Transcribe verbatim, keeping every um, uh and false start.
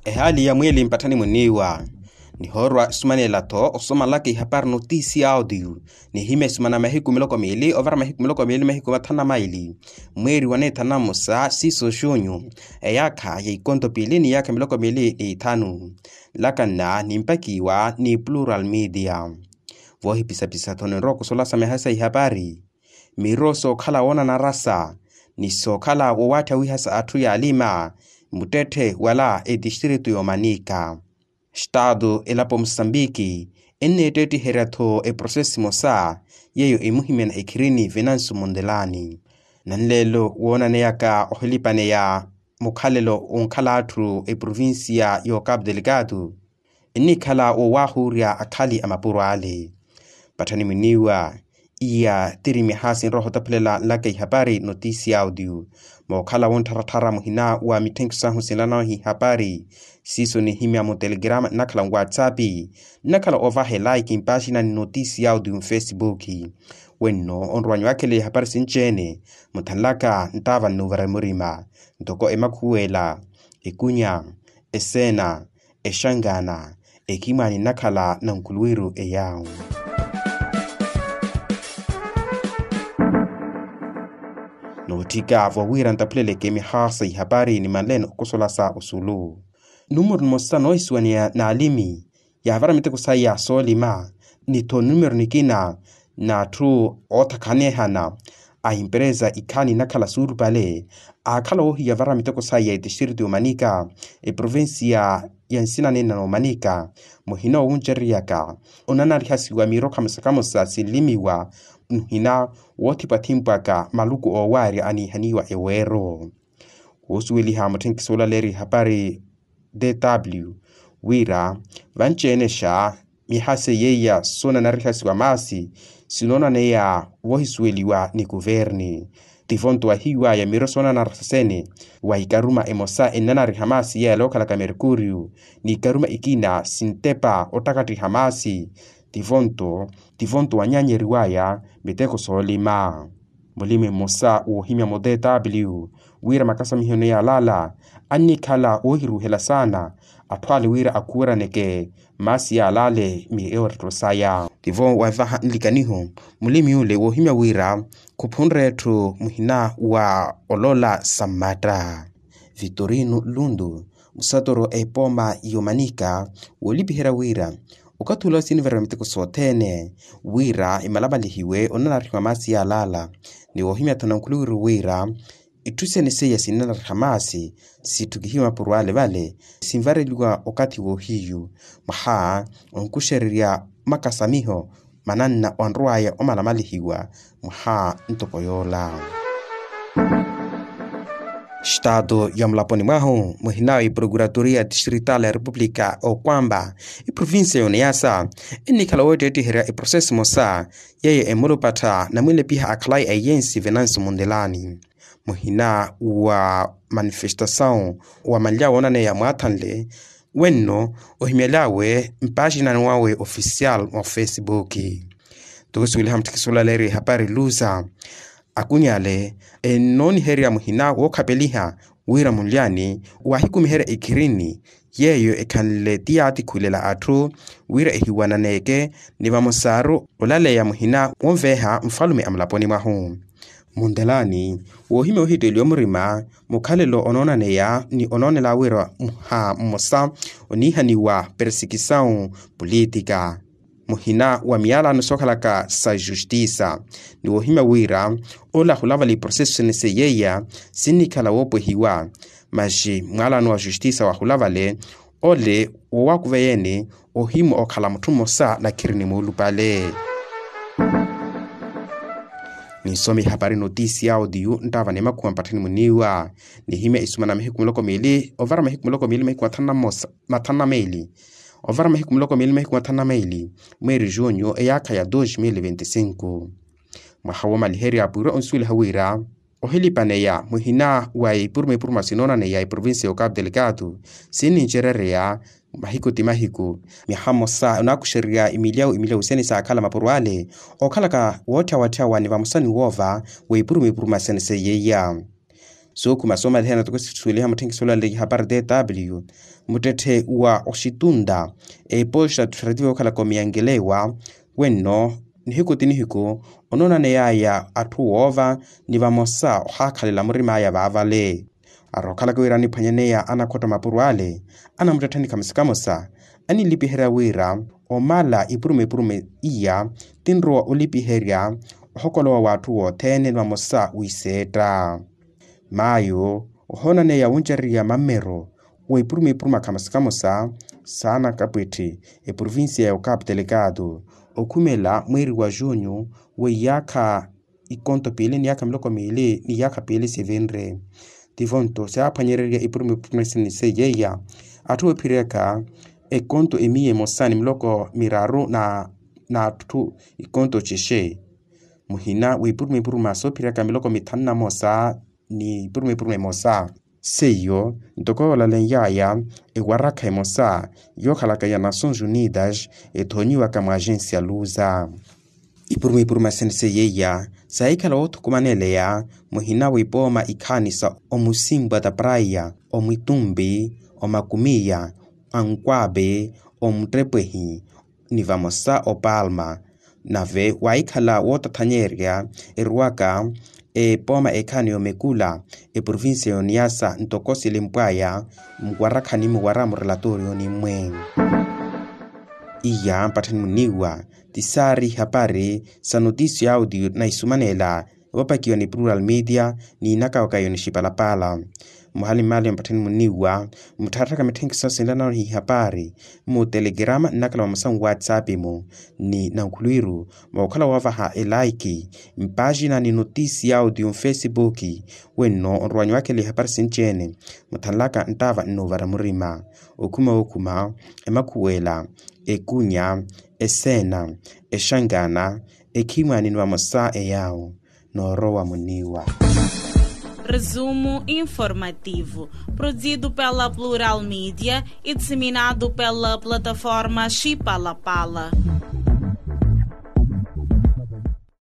Ehaali ya mwiili mpatthani muniiwa. Nihoorwa esumanela-tho osomalaka ihapari notisi ya audio, nihimya esumana mahiku miloko miili ovara mahiku miloko miili mahiku mathanu na maili, mweeri wa neethanu na mmosa siiso xunyu, eyaakha ya ikonto piili ni iyaakha miloko miili n'ithanu. Laka nna nimpakiwa ni plural media. Voohipisapisa-tho ninrowa okusola sa miha sa ihapari, miro sookhala woonanarasa ni sookhala wowaattha wihasa atthu yaalima muttetthe wala etistritu y'omanika. Estatu elapo musambiki enneettettiherya-tho eprosesi emosa yeeyo emuhimyana ekhirini venansu mundelani. Nanleelo woonaneyaka ohilipaneya mukhalelo onkhala atthu eprovincia y'ocapu delicatu ennikhala wowahuurya akhali a mapuro ale. Patthani muniiwa iya tiri miha sinroha otaphulela nlaka ihapari notisi ya audio. Mookhala wonttharattharya muhina wa mitthenkiso sahu sinlanawe ihapari siiso nihimya mutelegrama nnakhala nwatsapi nnakhala ovaha elaiki mpaaxinani notisi ya audio mfesibuki. Wenno onrowanyu wakhela ihapari sinci-ene muthanlaka nttaava nnuuvara murima ntoko emakhuwela, ekunya, eseena, exangana, ekimwaani nnakhala na nkuluwiru eyawu. Nootthika vowira ntaphuleleke miha sa ihapari nimanleene okusola sa osulu. Numero nimosa noohisuwaneya n'alimi yaavara miteko saya soolima ni-tho numero nikina n'atthu oothakhanehana a emperesa ikhaani nnakhala suulupale aakhala woohiya vara miteko saya etistritu y'omanika eprovincia ya nsina neena n'omanika. Muhina owuncereryaka onanarihasiwa miro khamosa khamosa sinlimiwa muhina woothipwathimpwaka maluku oowaarya aniihaniwa eweero. Khusuweliha mutthenkiso olaleerya ihapari dw wira vanci-enexa miha seiya soonanarihasiwa maasi sinoonaneya voohisuweliwa ni kuverni. Tivonto wahiwaya miro soonanarihasene wa ikaruma emosa ennanariha maasi yela okhalaka merkuriyu ni ikaruma ikina sintepa ottakattiha maasi. Tivonto tivonto wanyaanyeriwaya miteko soolima. Mulimi mmosa woohimya mu dw wira makasamiho ene yaalala annikhala woohiruuhela saana atthu ale wira akhuweraneke maasi yaalale miyoottetto saya. Tivo waavaha nlikaniho mulimi ule woohimya wira khuphunre etthu muhina wa olola sammatta. Vitorino lundu musatoro a epooma y'omanika woolipiherya wira okathi ula siniverya miteko sothene wira emalamalihiwe onanarihiwa maasi yaalala. Ni woohimya-tho nankhuluwiru wira itthu sene seiya sinanariha maasi sitthukihiwe mapuro ale vale sinvareliwa okathi woohiyu mwaha onkuxererya makasamiho mananna onrowaya omalamalihiwa mwaha ntoko yoola. Xitaatu ya mulaponi mwahu muhina wa iprokuratoria distrital ya repupulika okwamba iprovincia y'oniyasa ennikhala wootteettiherya eproseso emosa yeeyo emulupattha namwilepiha akhalayi a eyensi venansi mundelani. Muhina wa manifestasawu wa manlya woonaneya mwaathanle wenno ohimyel'awe mpaaxinani wawe ofisiyali wa fesibuki. Toosuweliha mutthikisi olaleeriwa ehapari lusa akunyale ennooniherya muhina wookhapeliha wira munlyani waahikumiherya ekhirini yeeyo ekhanle ti yaatikhulela atthu wira ehiwananeke ni vamosaru olaleya muhina wonveeha nfalume a mulaponi mwahu. Mundelani woohimya ohitteliwa murima mukhalelo onoonaneya ni onoonela wira muha mmosa oniihaniwa persekisawu pulitika muhina wa miyalano sookhalaka sa justisa. Ni woohimya wira ola ahulavala iproseso sene seiya sinnikhala woopwehiwa maxi mwalano wa justisa wahulavale ole woowakuveyeni ohimwa okhala mutthu mmosa nakhiri ni muulupale. Ninsomi hapari notisi ya audio nttaava ni makhuwa mpatthani muniiwa nihimya isumana mahiku miloko miili ovara mahiku miloko miili mahiku mathanu na mmosa mathanu na meili ovara mahiku miloko miili mahiku mathanu na meili mweeri junyu eyaakha ya dos mil venti cinco. Mwaha woomaliherya pwiirwe onsuweliha wira ohilipaneya muhina wa ipuruma ipuruma sinoonaneya eprovincia y'ocapu delicado sinnincerereya mahiku ti mahiku myaha mmosa onaakuxererya imilyawu imilyawu sene saakhala mapuro ale ookhalaka wootthyawa-tthyawa ni vamosa ni woova w'ipuruma ipuruma sene seiyeiya. Sookhuma soomaliheya na toko sisuweliha mutthenkisi olaleya ihapari tw, muttetthe wa oxitunta eposta txeretivo okhalaka omiyangelewa. Wenno nihiku ti nihiku onoonaneyaya atthu woova ni vamosa ohaakhalela murim'aya vaavale. Arokhalaka wira aniphwanyaneya anakhotta mapuro ale anamuttettha ni khamosa khamosa, anilipiherya wira omala ipurume ipurume iya tinrowa olipiherya ohokolowa w'atthu wothene ni vamosa wiseetta. Mayo ohoonaneya wuncererya mammero wa ipurume ipurume khamosa khamosa saana kapwetthi eprovincia ya okapu telekatu okhumela mweeri wa junyu wa iyaakha ikonto piili ni iyaakha miloko miili ni iyaakha piili sivinre. Tivo nto siyaaphwanyererya ipurume ipurume sini seiya iya atthu oophiriyaka ekonto emiya emosa ni miloko miraru na atthu ikonto cexe muhina w'ipurume ipurume soophiriyaka miloko mithanu na mosa ni ipurume ipurume emosa. Seiyo ntoko yoolaleny'aya ewarakha emosa yookhalaka ya nações unidas ethoonyiwaka mwa agencia luza. Ipurume ipurume sini seiya iya saahikhala woothukumaneleya muhina w'ipooma ikhaani sa omusimpwa ta praya omwitumpi omakumiya ankwaapi omuttepehi ni vamosa opalma. Nave waahikhala wootathanyerya erwaka epooma ekhaani y'omekula eprovincia y'oniyasa ntoko silimpw'aya muwarakhani muwara murelatoriyoni mmwe. Iya mpatthani muniiwa ti saari ihapari sa notisia audio na isumanela epapakiwa ni plural media ni inakawaka yoni xipalapala. Muhali mmaali mpatthani muniiwa muttharatthaka mitthenkiso sinlanano ihapari mu telegrama nnakhala vamosa nwatsapp-mu ni nankhulwiru mookhala woovaha elaiki mpaaxina ni notisia audio mfesipuki. Wenno onrowa nwakhela ihapari sinci-ene muthanlaka nttaava nnuuvara murima okhuma okhuma emakhuwela ekunya eseena exankana ekhimwaani ni vamosa eyaawo noorowa muniiwa. Resumo informativo, produzido pela Plural Media e disseminado pela plataforma Chipalapala.